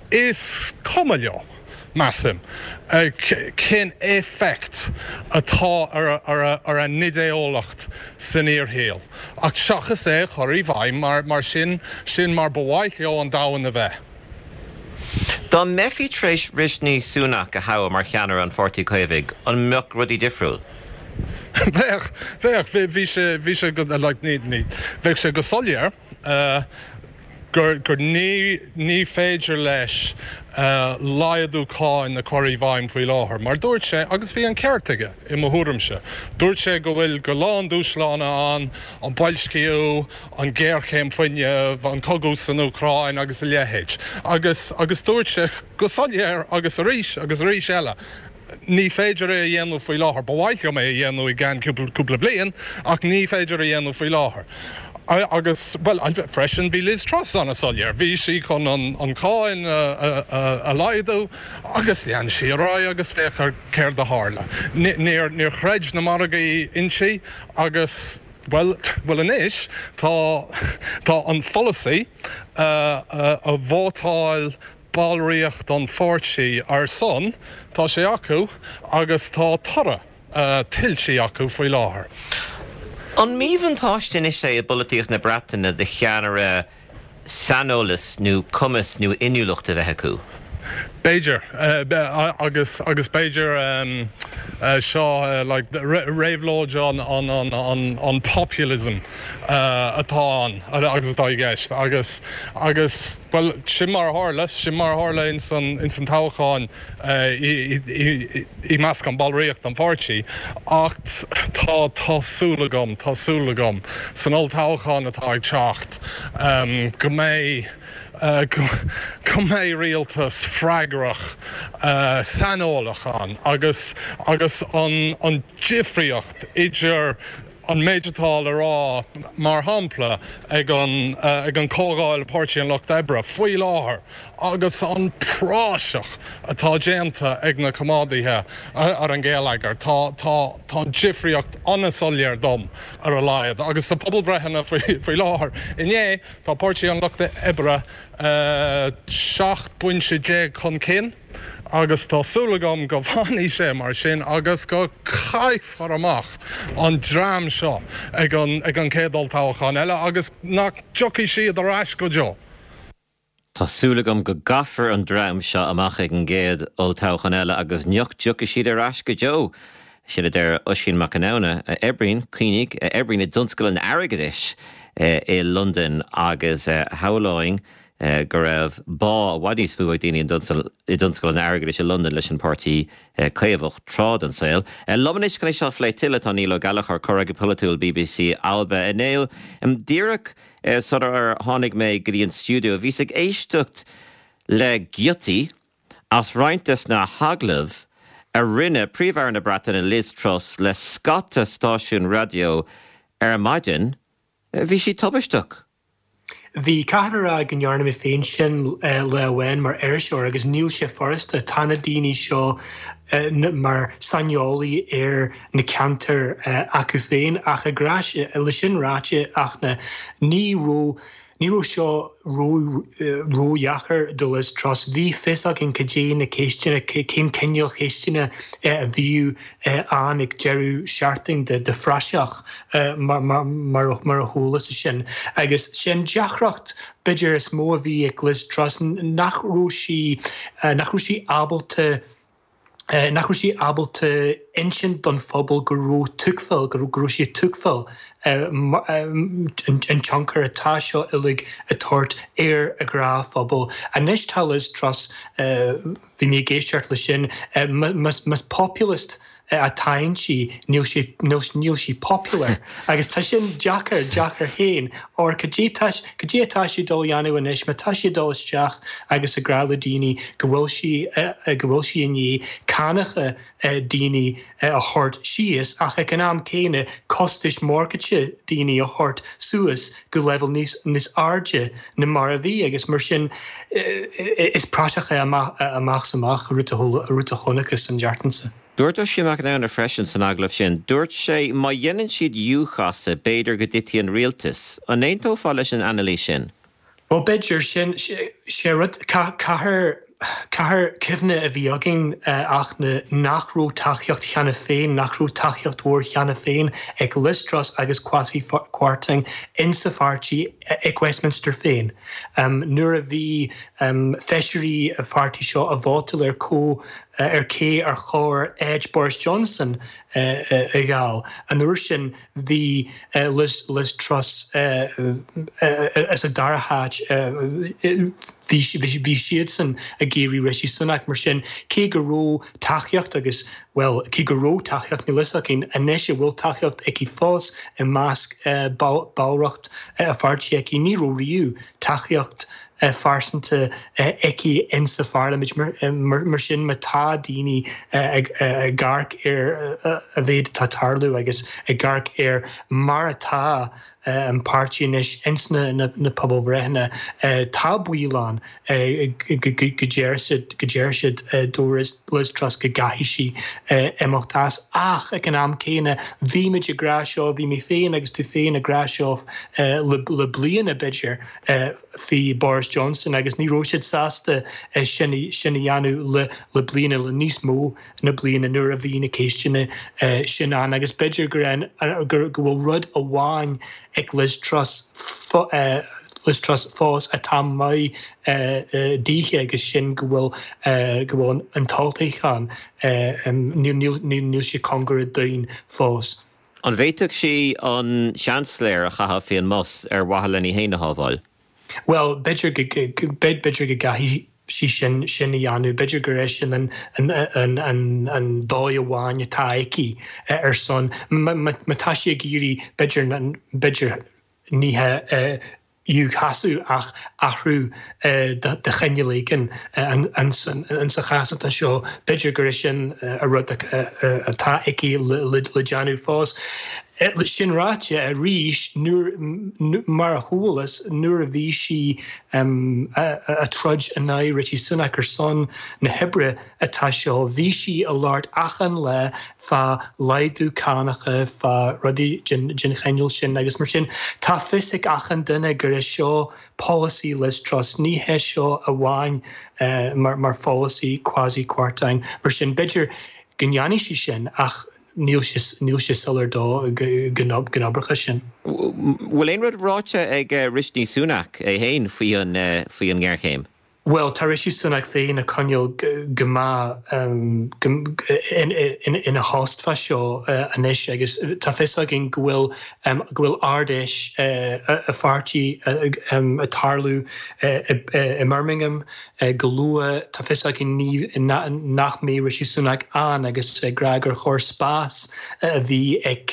Speaker 5: is cuma leo, measaim, cén éifeacht atá ar a n-idé-eolaíocht san fhíorshaol, ach seachas é a chur i bhfeidhm mar mar sin, sin mar ba mhaith leo an domhan a bheith.
Speaker 1: Dá mbeifí tar éis Rishi Sunak a thoghadh mar cheannaire an Pháirtí Caomhaigh, an mbeadh rudaí difriúil?
Speaker 5: Bheadh, bheadh, bhí sé, bhí sé go, like, ní, ní, bheadh sé go soiléir gur, gur ní, ní féidir leis laghdú cáin a chur i bhfeidhm faoi láthair. Mar dúirt sé, agus bhí an ceart aige, i mo thuairimse, dúirt sé go bhfuil go lán dúshlána ann, an boilsciú, an ghéarchéim fuinnimh, an cogadh san Úcráin agus a leithéid. Agus, agus dúirt sé go soiléir agus arís agus arís eile, ní féidir é a dhéanamh faoi láthair. Ba mhaith liom é a dhéanamh i gceann cúpla bliain, ach ní féidir a dhéanamh faoi láthair. Agus, bhuel, freisin bhí Liz Truss an-soiléir, bhí sí chun an cháin a laghdú agus lean sí ar aghaidh agus féach ar céard a tharla. Níor, níor chreid na margaí inti agus, bhuel, bhuel anois tá, tá an pholasaí a vótáil ballraíocht an pháirtí ar son, tá sé acu agus tá toradh tuillte acu faoi láthair.
Speaker 1: An míbhuntáiste anois é i bpolaitíocht na Breataine do cheannaire saineolas nó cumas nó inniúlacht a bheith acu?
Speaker 5: B'fhéidir, agus agus b'fhéidir seo like réabhlóid an an an an populism atá ann agus atá i gceist agus agus bhuel sin mar a tharla, sin mar a tharla ins an ins an toghchán i measc an ballraíocht an pháirtí ach tá tá súil agam, tá súil agam san olltoghchán atá ag teacht go mbeidh go mbeidh rialtas freagrach saineolach ann agus agus an an difríocht idir an méid atá le rá, mar shampla, ag an ag an Comhdháil Páirtí an Lucht Oibre faoi láthair agus an praiseach atá déanta ag na Coimeádaithe ar an gheilleagar, tá tá tá an difríocht an-soiléir dom ar a laghad. Agus sa pobalbhreitheanna faoi faoi láthair inné, tá Páirtí an Lucht Oibre seacht bpointe déag chun cinn agus tá súil agam go bhfanfaidh sé mar sin agus go caithfear amach an dream seo ag an ag an chéad olltoghchán eile agus nach dtiocfaidh siad ar ais go deo.
Speaker 1: Tá súil agam go gcaithfear an dream seo amach ag an gcéad olltoghchán eile agus nach dtiocfaidh siad ar ais go deo. Sin a deir Oisín Mac Conamhna, a oibríonn, cuimhnigh, a oibríonn i dtionscal an airgeadais i Londain agus shamhlóinn go raibh bá i bhfad níos mó ag daoine i dtionscal an airgeadais i Londain leis an bPáirtí Caomhach tráth den saol. Liom anois chun é seo a phlé tuilleadh tá Niall Ó Gallchóir, comhfhreagraí polaitiúil BBC Alba. A Néill, díreach sular tháinig mé go dtí an stiúideo, bhíos ag éisteacht le giotaí as roinnt des na hagallaimh a rinne Príomh-Aire na Breataine Liz Truss le scata stáisiún raidió ar maidin, bhí sí tubaisteach.
Speaker 6: Bhí caithfidh a rá go ndearna mé féin sin lá amháin mar iriseoir agus níl sé furasta. Tá na daoine seo mar saineolaí ar na ceantair acu féin ach ag rá le sin ráite ach na ní raibh Ní raibh seo ródheacair do Liz Truss. Bhí fios againn cad é na ceisteanna, cén cineál ceisteanna a bhíodh ann ag deireadh seachtain de phraiseach mar a chualas sin. Agus sin deacracht b'fhéidir is mó a bhí ag Liz Truss nach raibh sí nach raibh sí ábalta nach raibh sí ábalta insint don phobal go raibh tuigbheáil, go raibh sí ag tuigbheáil an tionchar atá seo uilig ag tabhairt ar a ghnáthphobal. Anois tá Liz Truss, bhí mé ag éisteacht leis sin, más populist atá inti, níl sí, níl sí popular. Agus tá sin deacair, deacair féin. Óir cad é tá, cad é atá sí ag dul a dhéanamh anois, má tá sí ag dul isteach agus ag rá le daoine go bhfuil sí, go bhfuil sí i ndiaidh cánacha daoine a thabhairt síos ach ag an am céanna costais morgáiste daoine a thabhairt suas go leibhéal níos, níos airde ná mar a bhí agus mar sin is praiseach é amach, amach is amach an rud a, rud a chonacthas an tseachtain seo.
Speaker 1: Dúirt Oisín Mac Con freisin san agallamh sin, dúirt sé má dhéanann siad U-chasadh b'fhéidir go dtitfidh an rialtas. An aontófá leis an anailís sin?
Speaker 6: Bhuel b'fhéidir sin sé rud caithfidh caithfidh cuimhne a bhí againn ach nach raibh tacaíocht cheana féin, nach raibh tacaíocht mhór cheana féin ag Liz Truss agus Kwasi Kwarteng insa pháirtí ag Westminster féin. Nuair a bhí feisirí a pháirtí seo ag vótáil ar có ar cé ar chóir áit Boris Johnson a fháil. An uair sin bhí Liz, Liz Truss sa dara háit bhí siadsan ag iarraidh Rishi Sunak mar sin cé go raibh tacaíocht agus well cé go raibh tacaíocht níl fhios againn anois an bhfuil tacaíocht aici fós i measc ballraíocht a pháirtí aici ní raibh riamh tacaíocht phearsanta aici insa pharlaimint mar sin má tá daoine ag amharc ar an mhéid atá tarlú agus ag amharc ar mar atá an páirtí anois ins na na pobalbhreitheanna tá baol ann go deir siad go deir siad do Liz Truss go gcaithfidh sí imeacht as ach ag an am céanna bhí muid ag rá seo bhí mé féin agus tú féin ag rá seo le le bliana b'fhéidir faoi Boris Johnson agus ní raibh siad sásta sin sin a dhéanamh le le bliana le níos mó na bliana nuair a bhí na ceisteanna sin ann agus b'fhéidir gur an gur go bhfuil rud amháin ag Liz Truss Liz Truss fós atá maith dithe agus sin go bhfuil go bhfuil an tolltoghchán níl sé cóngarach dúinn fós.
Speaker 1: An bhféadfadh sí an seansléir a chaitheamh faoin mbus ar mhaithe lena féin a shábháil?
Speaker 6: Well b'fhéidir b'fhéidir go gcaithfidh sí sin sin a dhéanamh, b'fhéidir gur é sin an an an an dóigh amháin atá aici ar son má tá sí ag iarraidh b'fhéidir b'fhéidir ní he U-chasadh ach athrú de chineál éigin sa chás atá seo, b'fhéidir gur é sin a rud atá aici le déanamh fós. Sin ráite arís nuair mar a chualas nuair a bhí sí ag troid in aghaidh Rishi Sunak ar son na hoibre atá seo, bhí sí ag labhairt achan lá fá laghdú cánacha, fá rudaí den chineál sin agus mar sin tá fios ag achan duine gur é seo polasaí Liz Truss, ní hé seo amháin mar mar pholasaí Kwasi Kwarteng. Mar sin b'fhéidir go ndéanfaidh sí sin ach níl sé níl sé soiléir dó go n-oibreoidh sin.
Speaker 1: Bhfuil aon rud ráite ag Rishi Sunak é féin faoi an faoi an ngéarchéim?
Speaker 6: Bhuel, tá Rishi Sunak féin ag coinneáil go maith ina thost fá seo anois agus tá fios againn go bhfuil go bhfuil Ard-Fheis a pháirtí ag tarlú i mBirmingham go luath. Tá fios againn nach mbeidh Rishi Sunak ann agus ag rá gur chóir spás a bhí ag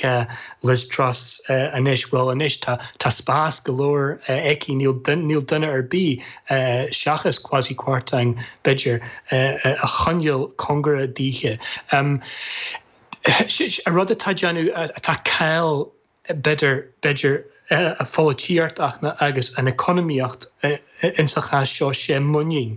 Speaker 6: Liz Truss anois. Bhuel anois tá spás go leor aici, níl duine ar bith seachas Kwasi Kwarteng, b'fhéidir, a choinneáil cóngarach daoithe. An rud atá déanamh, atá caill b'fhéidir, b'fhéidir, a pholaitíocht agus an economaíocht insa chás seo, sé muinín.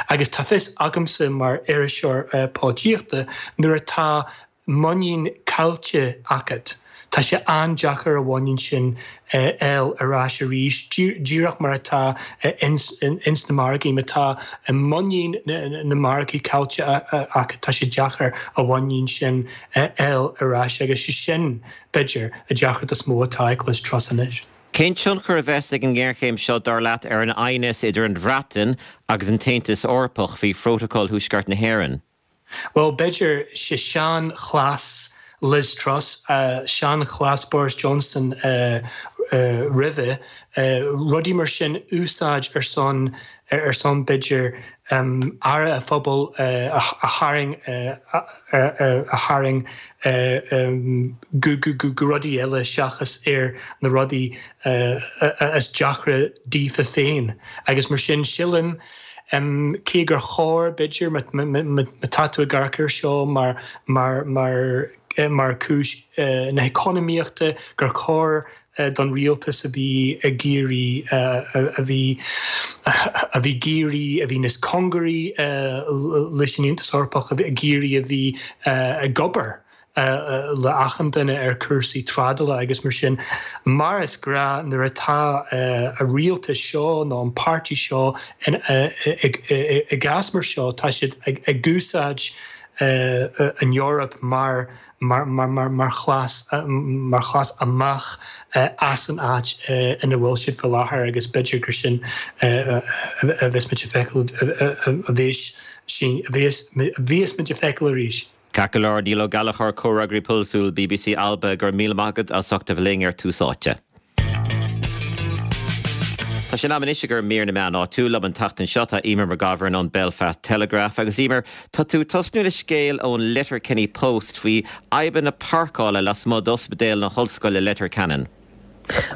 Speaker 6: Agus tá fios agamsa mar iriseoir polaitíochta nuair atá muinín caillte agat, tá sé an-deacair a mhuinín sin a fháil ar ais arís, díreach mar atá ins na margaí. Má tá muinín na margaí caillte agat, tá sé deacair a mhuinín sin a fháil ar ais agus sé sin, b'fhéidir, a deacracht is mó atá ag Liz Truss anois.
Speaker 1: Cén tionchar a bheas ag an ngéarchéim seo, dar leat, ar an aighneas idir an Bhreatain agus an tAontas Eorpach faoi Phrótacal Thuaisceart na hÉireann?
Speaker 6: Bhuel, b'fhéidir, sé sean-chleas Liz Truss, sean-chleas Boris Johnson roimhe, rudaí mar sin úsáid ar son, ar son b'fhéidir, aire a phobail a tharraing, a tharraing go, go, go rudaí eile seachas ar na rudaí is deacra daofa féin. Agus mar sin, sílim, Cé gur chóir, b'fhéidir, má tá tú ag amharc air seo mar mar chúis na heacnamaíochta, gur chóir don rialtas a bhí ag iarraidh, a bhí a bhí ag iarraidh, a bhí níos cóngaraí leis an Aontas Eorpach, a bhí ag iarraidh a bhí ag obair le achan duine ar chúrsaí trádála agus mar sin. Mar is gnáth nuair atá a rialtas seo nó an páirtí seo i gcás mar seo tá siad ag úsáid an Eoraip mar mar mar chleas mar chleas amach as an áit ina bhfuil siad faoi láthair agus b'fhéidir gur sin a bheas muid ag feiceáil a bheas a bheas muid ag feiceáil arís.
Speaker 1: Ceart go leor, Niall Ó Gallchóir, Comhfhreagraí Polaitiúil bbc Alba, go raibh míle maith agat as ucht a bheith linn ar Tús Áite. Tá sé in am anois i gcomhair mír na meán áitiúil. Liom an tseachtain seo tá Eimear McGovern ón Belfast Telegraph agus Eimear, tá tú ag tosnú le scéal ón Letterkenny Post faoi fhadhbanna páirceála lasmuigh d'Ospidéal na hOllscoile Leitir Ceanainn.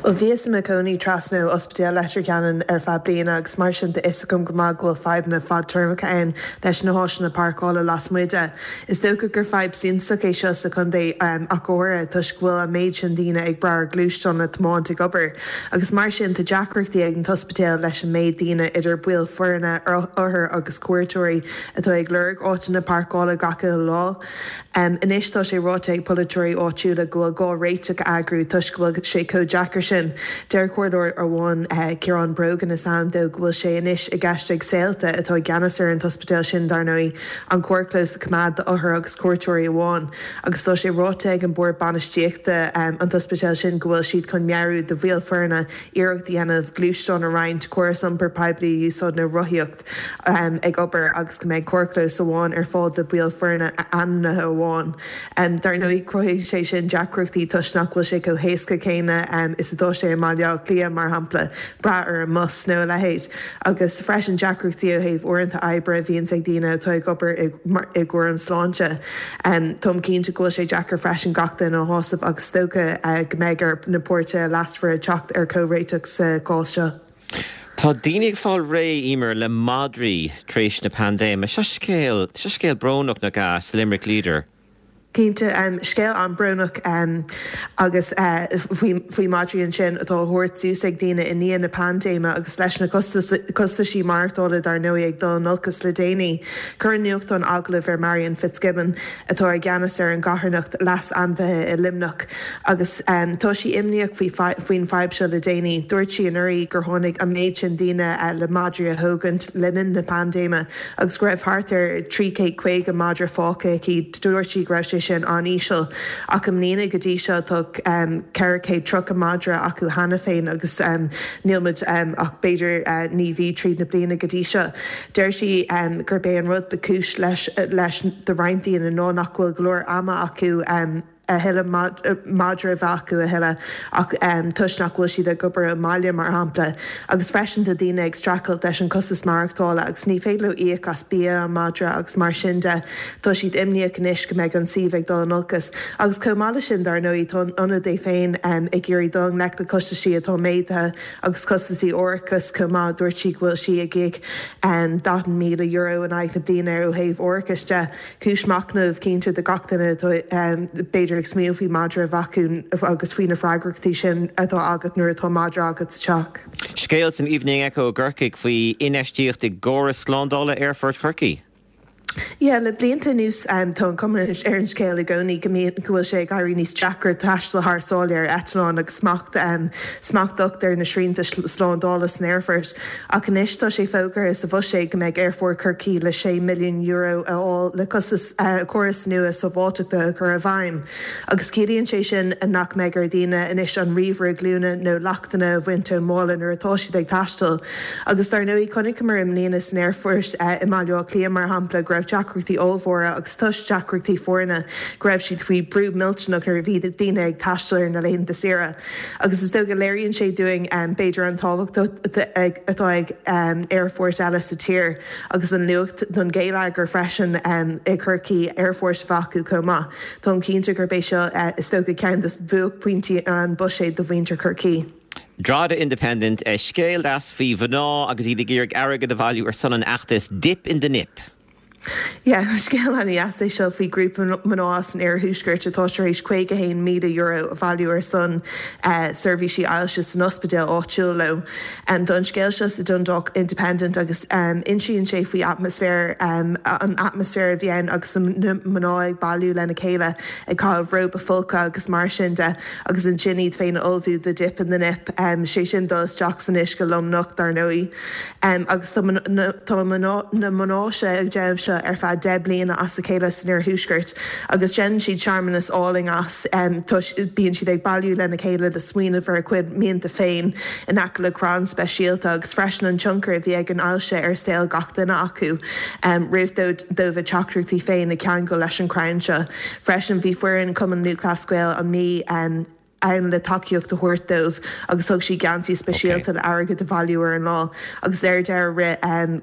Speaker 7: Bhuel, bhíos i mo chónaí trasna ó Ospidéal Leitir Ceanainn ar feadh bliana agus mar sin tá fhios agam go maith go bhfuil fadhbanna fadtéarmacha ann leis na háiseanna páirceála lasmuigh de. Is dócha gur fadhb suntasach é seo sa chontae ach go háirithe toisc go bhfuil an méid sin daoine ag brath ar ghluaisteáin le tiomáint ag obair agus mar sin tá deacrachtaí ag an t-ospidéal leis an méid daoine idir baill foirne, othair agus cuairteoirí atá ag lorg áiteanna páirceála gach uile lá. Anois tá sé ráite ag polaiteoirí áitiúla go bhfuil gá réiteach a eagrú toisc go bhfuil sé chomh deacair sin. Deir comhairleoir amháin, Ciarán Brogan is ainm dó, go bhfuil sé anois i gceist ag Saolta, atá i gceannas ar an t-ospidéal sin dar ndóigh, an carrchlós a choimeád d'othair agus cuairteoirí amháin. Agus tá sé ráite ag an bord bainistíochta an t-ospidéal sin go bhfuil siad chun meabhrú do bhaill foirne iarracht a dhéanamh gluaisteán a roinnt, córas iompair poiblí a úsáid nó rothaíocht ag obair agus go mbeidh carrchlós amháin ar fáil do bhaill foirne ainmnithe amháin. Dar ndóigh, cruthaíonn sé sin deacrachtaí toisc nach bhfuil sé chomh héasca céanna is atá sé i mBaile Átha Cliath, mar shampla, brath ar an mbus nó a leithéid. Agus freisin deacrachtaí ó thaobh uaireanta oibre a bhíonns ag daoine atá ag obair i gcúram sláinte. Táim cinnte go bhfuil sé deacair freisin gach duine a shásamh agus is dócha go mbeidh ar na páirtithe leasmhara teacht ar chomhréiteach sa chás seo.
Speaker 1: Tá daoine ag fáil réidh, Eimear, le madraí tar éis na paindéime. Seo scéal, seo scéal brónach, nach ea, sa Limerick Leader.
Speaker 7: Cinnte, scéal an-bhrónach agus faoi madraí ansin atá á thabhairt suas ag daoine i ndiaidh na paindéime agus leis na costaisí maireachtála dar ndóigh ag dul in olcas le déanaí. Chuir an nuachtán agallamh ar Marion Fitzgibbon atá i gceannas ar an gcarthanacht Leas Ainmhithe i Luimneach agus tá sí imníoch faoin fadhb seo le déanaí. Dúirt sí anuraidh gur tháinig an méid sin daoine le madraí a thógaint le linn na paindéime agus go raibh thart ar trí chéad caoga madra fágtha aici. Dúirt sí go raibh sé sin an-íseal. Ach i mbliana go dtí seo tá ceithre chéad tríocha madra acu cheana féin agus níl muid ach b'fhéidir naoi mhí tríd na bliana go dtí seo. Deir sí gurb é an rud ba chúis leis leis do roinnt daoine ná nach bhfuil go leor ama acu a thuilleadh madra a bheith acu a thuilleadh ach toisc nach bhfuil siad ag obair i mbaile mar shampla. Agus freisin tá daoine ag streachailt leis an costas maireachtála agus ní féidir leo íoc as bia an madra agus mar sin de. Tá siad imníoch anois go mbeidh an suíomh ag dul in olcas. Agus chomh maith leis sin dar ndóigh tá an ionad é féin ag iarraidh dul i ngleic le costaisí atá méadaithe agus costaisí árachais chomh maith. Dúirt sí go bhfuil sí ag íoc daichead míle euro in aghaidh na bliana ó thaobh árachais de. Cúis machnaimh cinnte do gach duine atá b'fhéidir ag smaoineamh faoi madra a bheith acu agus faoi na freagrachtaí sin atá agat nuair atá madra agat sa teach.
Speaker 1: Scéal san Evening Echo i gCorcaigh faoi infheistíocht i gcóras slándála Aerfort Chorcaí.
Speaker 7: Yeah, le blianta anuas tá an cuma ar an scéal i gcónaí go mbíonn go bhfuil sé ag éirí níos deacra taisteal thar sáile ar eitleán agus smacht smacht docht ar na srianta slándála san aerfort. Ach anois tá sé fógartha sa bhuiséad go mbeidh Aerfort Chorcaí le sé milliún euro a fháil le costas córas nua sábháilteachta a chur i bhfeidhm. Agus ciallaíonn sé sin nach mbeidh ar dhaoine anois an ríomhaire glúine nó leachtanna a bhaint ón mála nuair atá siad ag taisteal. Agus dar ndóigh chonaiceamar i mbliana san aerfort i mBaile Átha Cliath mar shampla go raibh deacrachtaí ollmhóra agus toisc deacrachtaí foirne go raibh siad faoi brú millteanach nuair a bhí daoine ag taisteal ar na laethanta saoire. Agus is dócha léiríonn sé dúinn b'fhéidir an tábhacht atá ag aerfoirt eile sa tír agus an luach don gheilleagar freisin i gCorcaigh aerfort a bheith acu chomh maith. Táim cinnte gurb é seo is dócha ceann de bhuaicphointí an buiséid do mhuintir Chorcaí.
Speaker 1: Drogheda Independent, scéal deas faoi mhná agus iad ag iarraidh airgead a bhailiú ar son an fheachtais Dip in the Nip.
Speaker 7: Yeah, scéal an-deas é seo faoi grúpa mná as an iarthuaisceart atá tar éis caoga haon míle euro a bhailiú ar son seirbhísí ailse san ospidéal áitiúil leo. Tá an scéal seo sa Dundalk Independent agus insíonn sé faoi atmaisféar an atmaisféar a bhí ann agus na mná ag bailiú lena chéile ag caitheamh róba folctha agus mar sin de agus ansin iad féin a ullmhú do Dip in the Nip, sé sin dul isteach san uisce lomnocht dar ndóigh. Agus tá na mná seo ag déanamh seo ar feadh deich bliana as a chéile san iarthuaisceart agus déanann siad searmanas álainn as. Bíonn siad ag bailiú lena chéile le smaoineamh ar a gcuid mianta féin in aice le crann speisialta agus freisin an tionchar a bhí ag an ailse ar saol gach duine acu roimh dóibh a dteachtaireachtaí féin a cheangal leis an chrann seo. Freisin bhí foireann Chumann Lúthchleas Gael an Mhí ann le tacaíocht a thabhairt dóibh agus thug siad geansaí speisialta le airgead a bhailiú ar an lá agus ar deireadh rith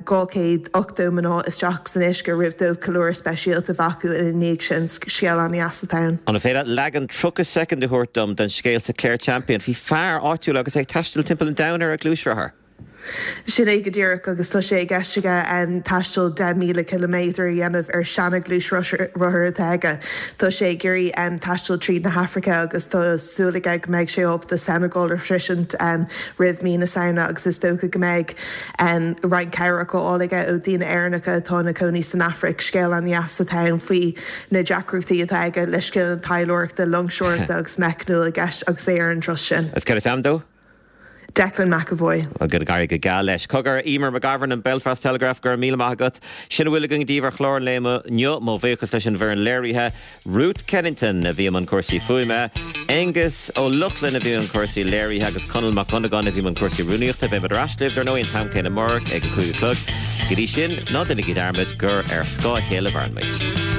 Speaker 7: dhá chéad ochtó mná isteach san uisce roimh dóibh ceiliúradh speisialta a bheith acu ina ndiaidh sin. Scéal an-deas atá ann.
Speaker 1: An féidir leat leagan tríocha soicind a thabhairt dom den scéal sa Clare Champion faoi fear áitiúil agus é ag taisteal timpeall an domhain ar a ghluaisrothar?
Speaker 7: Sin é go díreach agus tá sé i gceist aige taisteal deich míle ciliméadar a dhéanamh ar seana-ghluaisrothar atá aige. Tá sé ag iarraidh taisteal tríd na hAfraice agus tá súil aige go mbeidh sé ábalta Senegal a shroisint roimh mí na Samhna agus is dócha go mbeidh roinnt cabhrach á fháil aige ó daoine Éireannacha atá ina cónaí san Afraic. Scéal an-deas atá ann faoi na deacrachtaí atá aige le scileanna taidhleoireachta, loingseoireachta agus meicniúil i gceist agus é ar an turas sin.
Speaker 1: Is cad is ainm dó?
Speaker 7: Declan McAvoy.
Speaker 1: Go n-éirí go geal leis. Cogar, Eimear McGovern an Belfast Telegraph, go raibh míle maith agat. Sin a bhfuil againn daoibh ar chlár an lae inniu. Mo bhuíochas leis an bhfoireann léirithe, Ruth Kennington a bhí i mbun cúrsaí fuaime, Aengus Ó Lochlainn a bhí i mbun cúrsaí léirithe agus Conall Mac Dhonnagáin a bhí i mbun cúrsaí rúnaíochta. Beidh muid ar ais libh, dar ndóigh, an t-am céanna amárach ag a cúig a chlog. Go dtí sin, ná déanaigí dearmad gur ar scáth a chéile a mhaireann muid.